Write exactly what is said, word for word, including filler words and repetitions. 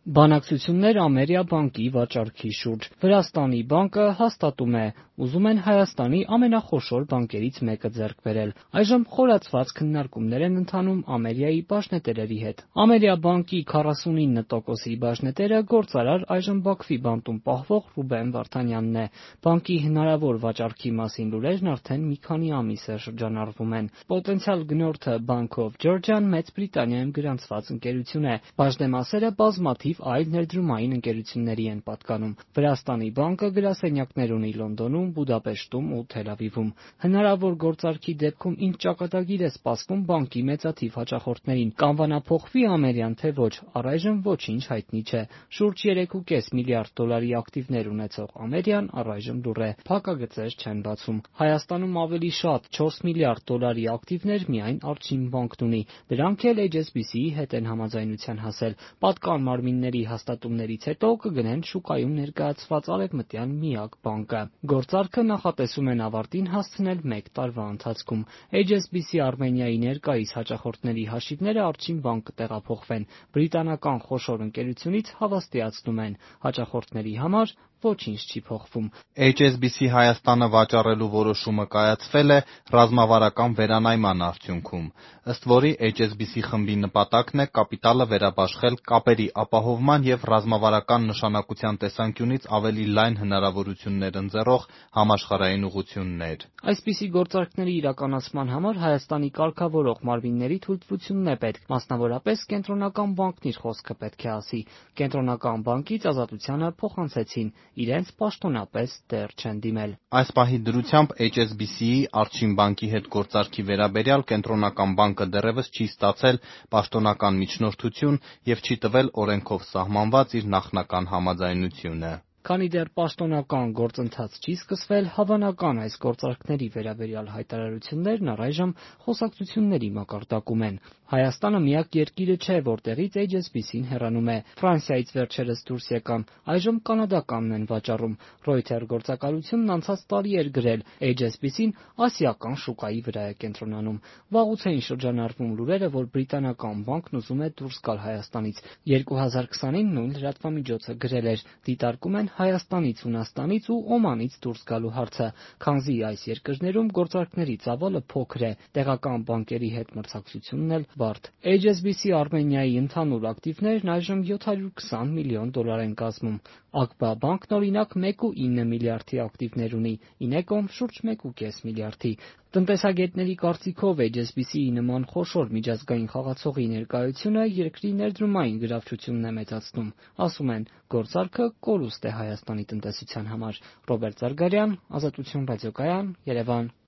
Բանակցություններ Ամերիա բանկի վաճառքի շուրջ։ Վրաստանի բանկը հաստատում է՝ ուզում են Հայաստանի ամենախոշոր բանկերից մեկը ձեռք բերել։ Այժմ խորացված քննարկումներ են ընթանում Ամերիայի բաժնետերերի հետ։ Ամերիա բանկի քառասունինը տոկոսի բաժնետերը գործարար այժմ Բաքվի բանտում պահվող Ռուբեն Վարդանյանն է։ Բանկի հնարավոր վաճառքի մասին լուրերն արդեն մի քանի ամիս է շրջանառվում են։ Պոտենցիալ գնորդը Bank of Georgia-ն Մեծ Բրիտանիայում գրանցված ընկերություն է։ Բաժնեմասերը բազմաթիվ այլ ներդրումային ընկերությունների են պատկանում։ Վրաստանի բանկը գրասենյակներ ունի Լոնդոնում, Բուդապեշտում ու Թել Ավիվում։ Հնարավոր գործարքի դեպքում ինչ ճակատագիր է սպասվում բանկի մեծաթիվ հաճախորդներին, կանվանափոխվի Ամերիան թե ոչ, առայժմ ոչինչ հայտնի չէ։ Շուրջ երեք կόμma պենս միլիարդ դոլարի ակտիվներ ունեցող Ամերիան առայժմ լուռ է, փակագծեր չեն բացում։ Հայաստանում ավելի շատ չորս միլիարդ դոլարի ակտիվներ միայն Արչին բանկն ունի։ Դրանք էլ Էյչ Էս Բի Սի-ի հետ են համաձայնության հասել։ Պատկան մարմինների հաստատումներից հետո կգնեն շուկայում ներկայացված արևմտյան միակ բանկը։ Գործարքը նախատեսում են ավարտին հասցնել մեկ տարվա ընթացքում։ Էյչ Էս Բի Սի Արմենիայի ներկայիս հաճախորդների հաշիվները Արչին բանկ կտեղափոխվեն։ Բրիտանական խոշոր ընկերությունից հավաստիացնում են՝ հաճախորդների համար ոչինչ չի փոխվում։ Էյչ Էս Բի Սի Հայաստանը վաճառելու որոշումը կայացվել է ռազմավարական վերանայման արդյունքում, ըստ որի Էյչ Էս Բի Սի խմբի նպատակն է կապիտալը վերաբաշխել կապերի ապահովման և ռազմավարական նշանակության տեսանկյունից ավելի լայն հնարավորություններ ընձեռող համաշխարհային ուղղություններ։ Այսպիսի գործարքների իրականացման համար Հայաստանի կարգավորող մարմինների թույլտվությունն է պետք, մասնավորապես Կենտրոնական բանկն իր խոսքը պետք է ասի։ Կենտրոնական բանկից Ազատությանը փոխանցեցին՝ իրենց պաշտոնապես դեռ չեն դիմել։ Այս պահի դրությամբ Էյչ Էս Բի Սի-ի Արչին բանկի հետ գործարքի վերաբերյալ Կենտրոնական բանկը դեռևս չի ստացել պաշտոնական միջնորդություն և չի տվել օրենքով սահմանված իր նախնական համաձայնությունը։ Քանի դեռ պաշտոնական գործընթաց չի սկսվել, հավանական այս գործարքների վերաբերյալ հայտարարություններն առայժմ խոսակցությունների մակարդակում են։ Հայաստանը միակ երկիրը չէ, որտեղից Էյչ Էս Բի Սին հեռանում է։ Ֆրանսիայից վերջերս դուրս եկան, այժմ կանադականն են վաճառում։ Reuters գործակալությունն անցած տարի էր գրել՝ Էյչ Էս Բի Սին ասիական շուկայի վրա է կենտրոնանում։ Վաղուց էին շրջանառվում լուրերը, որ բրիտանական բանկն ուզում է դուրս գալ Հայաստանից։ երկու հազար քսանին նույն լրատվամիջոցը գրել էր՝ դիտարկում են Հայաստանից, Հունաստանից ու Օմանից դուրս գալու հարցը, քանզի այս երկրներում գործարքների ծավալը փոքր է, տեղական բանկերի հետ մրցակցությունն էլ բարդ։ Էյչ Էս Բի Սի Արմենիայի ընդհանուր ակտիվներն այժմ յոթ հարյուր քսան միլիոն դոլար են կազմում։ Ակբա բանկն օրինակ մեկ կόμma ինը միլիարդի ակտիվներ ունի, Ինեկոմ շուրջ մեկ կόμma պենս միլիարդի։ Տնտեսագետների կարծիքով Էյչ Էս Բի Սի-ի նման խոշոր միջազգային խաղացողի ներկայությունը երկրի ներդրումային գրավչությունն է մեծացնում։ Ասում են՝ գործարքը կորուստ է Հայաստանի տնտեսության համար։ Ռոբերտ Զարգարյան, Ազատություն ռադիոկայան, Երևան։